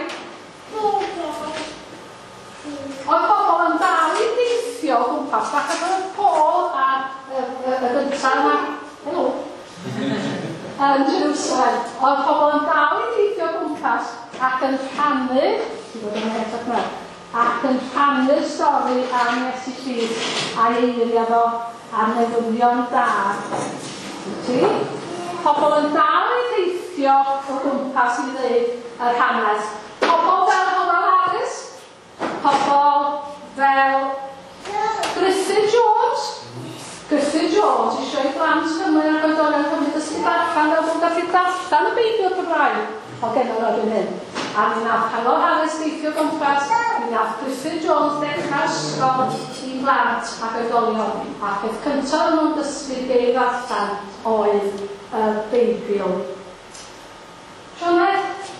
[SPEAKER 7] Oedd pobl yn dal i deithio o gwmpas, falle bod Paul a y, y, y gyntaf yma, helo, yn Jerusalem. Oedd pobl yn dal i deithio o gwmpas ac yn rhannu, ti bod yn edrych yma, ac yn rhannu'r stori am Iesu Grist a'i eiriau fo a'r newyddion da. Ti? Pobl yn dal i deithio o gwmpas i ddeud yr hanes. Pobl fel Howell Harris, pobl fel Griffith Jones. Griffith Jones eisiau i blant Cymru ac oedolion Cymru dysgu darllen fel bod gallu darllen y Beibl Cymraeg o gennym erbyn hyn. A mi nath Howell Harris deithio gwmpas, mi nath Griffith Jones dechrau ysgol i blant ac oedolion. A peth cyntaf o'n nhw'n dysgu geir allan oedd y Beibl. Sioned,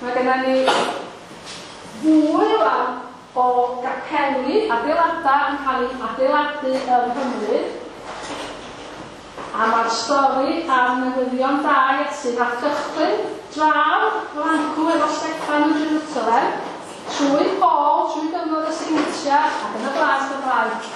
[SPEAKER 7] mae gennym ni fwy rwan o gapeli, adeiladau yn cael eu adeiladu yng Nghymru. A mae'r stori am newyddion da Iesu nath gychwyn draw Lancw efo Steffan yn Jerusalem, trwy Paul, trwy gyfnod y Seintiau ac yn y Blas Gymraeg.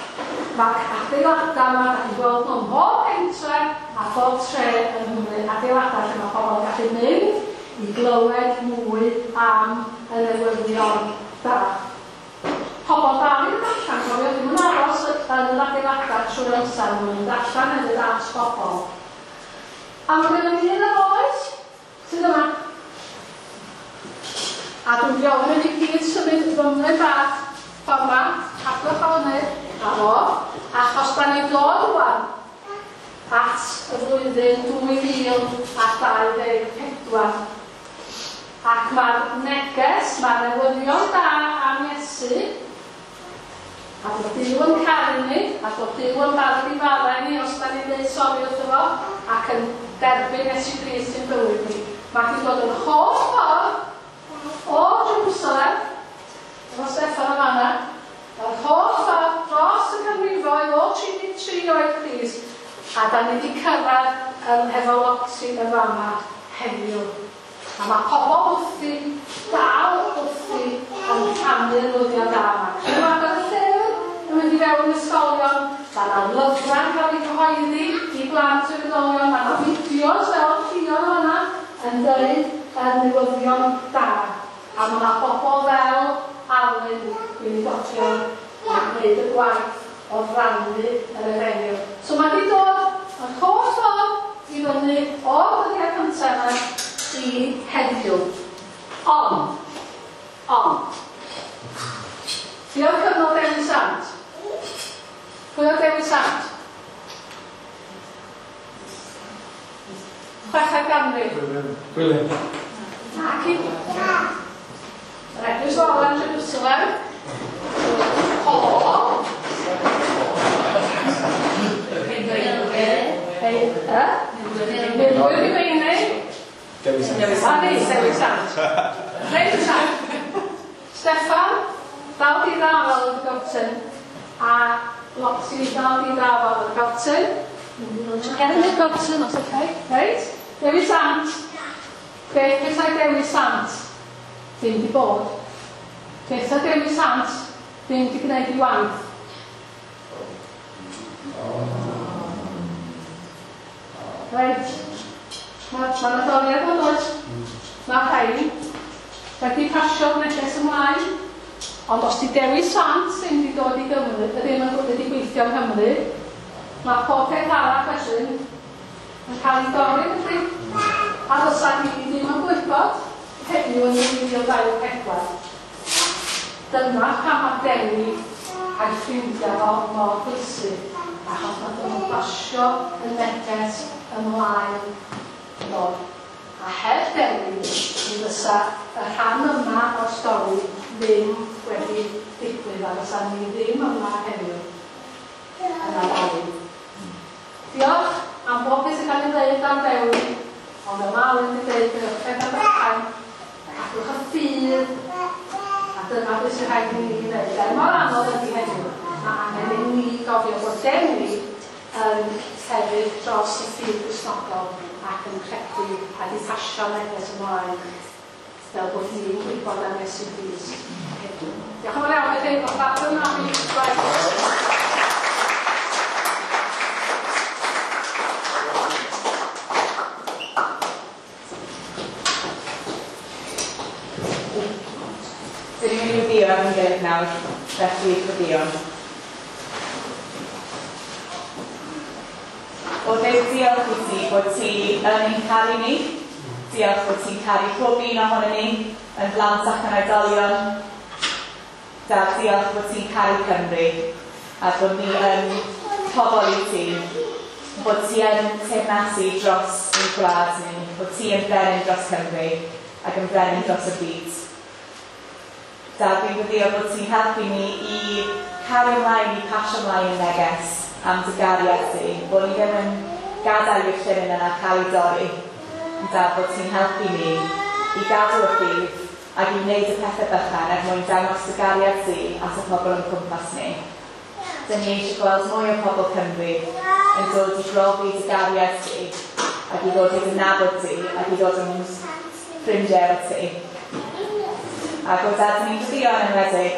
[SPEAKER 7] Mae'r adeiladau yma, da chi'n gweld nhw ym mhob pentre a phob tre yng Nghymru, adeiladau lle mae pobl yn gallu mynd i glywed mwy am y newyddion da. Pobl dal i ddod allan, cofio, ddim yn aros yn yr adeiladau trwy'r amser, maen nhw'n mynd allan hefyd at bobl. A mae gennym ni un ar oes sydd yma. A dwi'n gofyn i gyd symud fymryn bach ffordd yma, cadwch o hynny, a fo, achos da ni'n dod rwan at y flwyddyn dwy fil a dau ddeg pedwar. Ac mae'r neges, mae'r newyddion da am Iesu, a bod Duw yn caru ni, a bod Duw yn barod i faddau ni os da ni'n dweud sori wrtho fo, ac yn derbyn Iesu Grist i'n bywyd ni. Mae wedi dod yn holl ffordd o Jerusalem, efo Steffan yn fanna, yr holl ffordd dros y canrifoedd o tri deg tri oed Crist, a da ni wedi cyrraedd um, efo Lottie yn fama heddiw. A mae pobl wrthi, dal wrthi, yn rhannu'r newyddion da yma. Dwi'n agor y llyfr yn mynd i fewn ysgolion, mae yna lyfrau'n cael eu cyhoeddi i blant o'r oedolion, mae yna fideos fel Llion yna yn dweud y newyddion da. A mae yna bobl fel Alun Gweinidogion yn gwneud y gwaith o rannu yr efengyl. So mae wedi dod yn holl ffordd i fyny o'r dyddiau cyntaf yma i heddiw. Ond, ond, Pwy oedd cyfnod Dewi Sant? Pwy oedd Dewi Sant? Chweched ganrif.
[SPEAKER 1] William.
[SPEAKER 7] Naci. Yr Eglwys Fawr yn Jerusalem. Paul. Hei, e? Milwyr Rufeinig.
[SPEAKER 1] Dewi Sant.
[SPEAKER 7] A ni, Dewi Sant. Reit ta. Steffan, dal di ddafal yn y gortyn. A Lottie dal di ddafal yn y gortyn. Gen i'r gortyn os oce. Reit? Dewi Sant. Beth petai Dewi Sant ddim di bod? Beth petai Dewi Sant ddim di gwneud i waith? Reit. Mae ma Nadolig yn dod. Mae rhain wedi pasio'r neges ymlaen. Ond os di Dewi Sant ddim wedi dod i Gymru, ddim yn wedi gweithio yng Nghymru, mae pob peth arall wedyn yn cael ei dorri, felly. A fysa ni ddim yn gwybod heddiw yn nwy fil dau ddeg pedwar. Dyna pam mae Dewi a'i ffrindiau fo mor bwysig, achos nath nhw'n basio y neges ymlaen do. A heb Dewi, mi fysa y rhan yma o'r stori ddim wedi digwydd, a fysa ni ddim yma heddiw yn addoli. Diolch am bob beth sy'n cael ei ddeud am Dewi, ond yma Alun wedi dweud gyda pethau bychain, cadwch y ffydd, a dyna beth sy'n rhaid i ni wneud. Er mor anodd ydy heddiw, mae angen i ni gofio bod Dewi yn sefyll dros y ffydd Gristnogol ac yn credu a di pasio neges ymlaen fel bod ni'n gwybod am Iesu Grist heddiw. Diolch yn fawr iawn i chi, o'ch yna fi.
[SPEAKER 8] Dyn ni'n mynd i weddïo ar ein gilydd nawr, felly gweddïwn. O Dduw, diolch i ti bod ti yn ein caru ni. Diolch bod ti'n caru pob un ohonon ni, yn blant ac yn oedolion. Dad, diolch bod ti'n caru Cymru, a bod ni yn pobl i ti. Bod ti yn teyrnasu dros ein gwlad ni, bod ti yn brenin dros Cymru ac yn brenin dros y byd. Dad, fi'n gweddio bod ti'n helpu ni i cario ymlaen, i pasio ymlaen y neges am dy gariad ti, bod ni ddim yn gadael i'r llinyn yna cael ei dorri. Dad, bod ti'n helpu ni i gadw y ffydd ac i wneud y pethau bychan er mwyn dangos dy gariad ti at y pobl o'n cwmpas ni. Dyn ni eisiau gweld mwy o pobl Cymru yn dod i brofi dy gariad ti ac i ddod i dy nabod ti ac i ddod yn ffrindiau efo ti. Ac o Dad, ni'n gweddio yn enwedig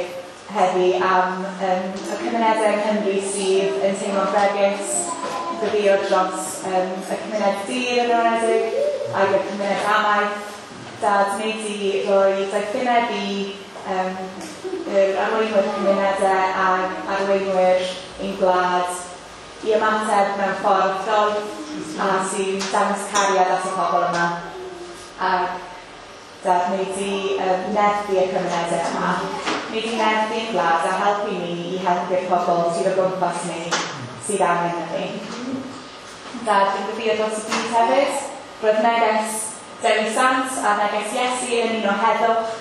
[SPEAKER 8] heddi am um, y cymunedau yng Nghymru sydd yn teimlo'n bregus, gweddio dros um, y cymuned dir yn enwedig ac y cymuned amaeth. Dad, wneud i roi doethineb i um, yr arweinwyr cymunedau ac arweinwyr ein gwlad i ymateb mewn ffordd doeth a sy'n dangos cariad at y pobl yma. Ac Dad, wneud i um, nerthu y cymunedau yma. Wneud i nerthu ein gwlad a helpu ni i helpu'r pobl sydd o gwmpas ni sydd angen ni. Dad, fi'n gweddio dros y byd hefyd. Roedd neges Dewi Sant a neges Iesu yn un o heddwch,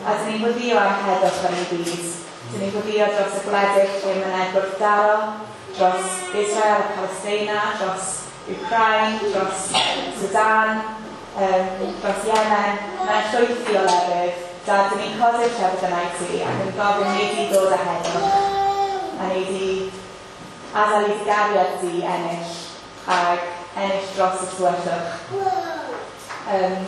[SPEAKER 8] a dyn ni'n gweddio am heddwch yn y byd. Dyn ni'n gweddio dros y gwledydd lle mae yna gwrthdaro, dros Israel a Palestina, dros Ukraine, dros Sudan, um, dros Yemen. Mae'n llwythi o lefydd. Dad, dyn ni'n codi'r llefydd yna i ti ac yn gofyn wneud i ddod â heddwch a wneud i adael i gariad di ennill ac ennill dros y tywyllwch. Um,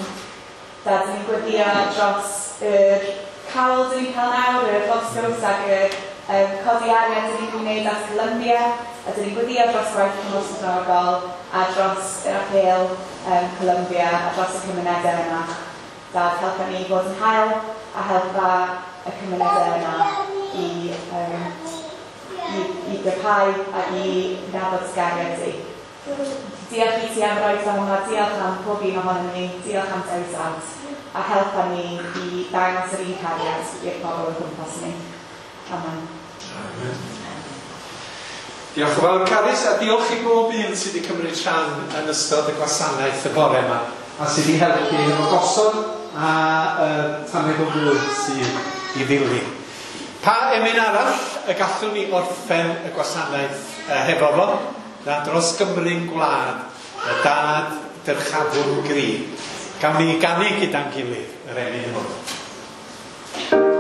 [SPEAKER 8] Dad, dyn ni'n gweddio dros yr cawl dyn ni'n cael nawr, yr lobsgows ac yr um, codi arian dyn ni'n gwneud at Colombia, a dyn ni'n gweddio dros gwaith Cymorth Cristnogol a dros yr apêl um, Colombia a dros y cymunedau yna. Dad, helpa ni fod yn hael a helpa y cymunedau yna i, um, i, i gryfhau a i nabod gariad di. Diolch i ti am roi fan yma, diolch am pob un ohonom ni, diolch am Dewi Sant, a helpa ni i ddangos yr un cariad i'r pobl o'n gwmpas ni. Amen.
[SPEAKER 1] Amen. Diolch yn fawr, Carys, a diolch i bob un sydd wedi cymryd rhan yn ystod y gwasanaeth y bore yma, a sydd wedi helpu efo gosod a uh, tamed o fwyd sydd i ddilyn. Pa emyn arall y gallwn ni orffen y gwasanaeth uh, hefo fo? Na dros Gymru'n gwlad, y dad dyrchafwn gri. Gawn ni ganu gyda'n gilydd yr emyn hwn.
[SPEAKER 9] Amen.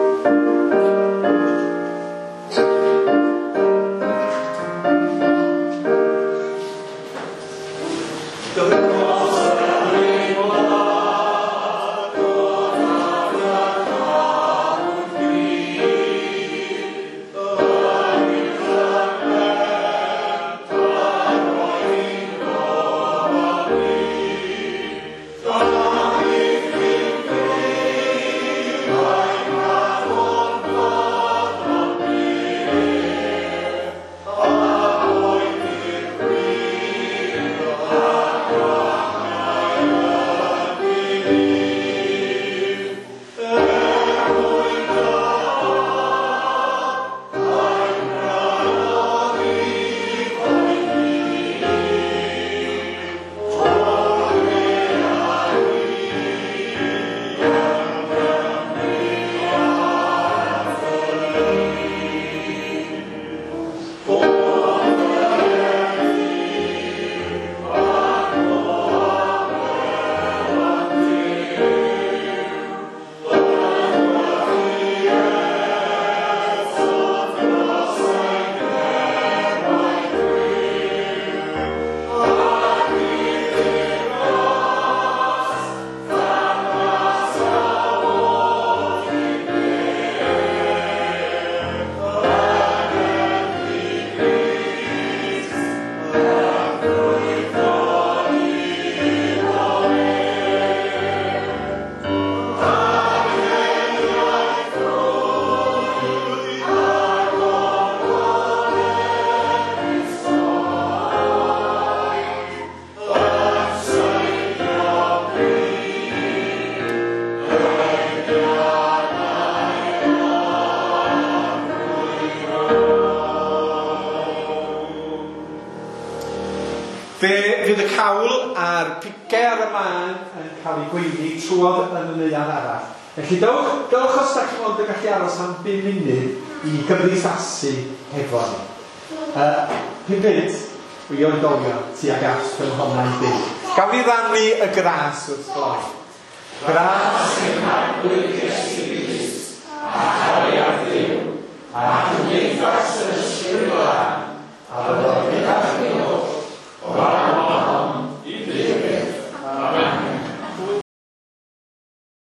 [SPEAKER 1] Fe fydd y cawl a'r pice ar y man yn cael ei gweini trwodd yn y neuadd arall. Felly dewch, dewch os da chi mond yn gallu aros am bum munud i gymdeithasu hefo ni. Uh, pum munud i oedolion tuag at ffynhonnau byw. Gawn ni rannu y gras wrth gloi. Gras i'n Arglwydd Iesu.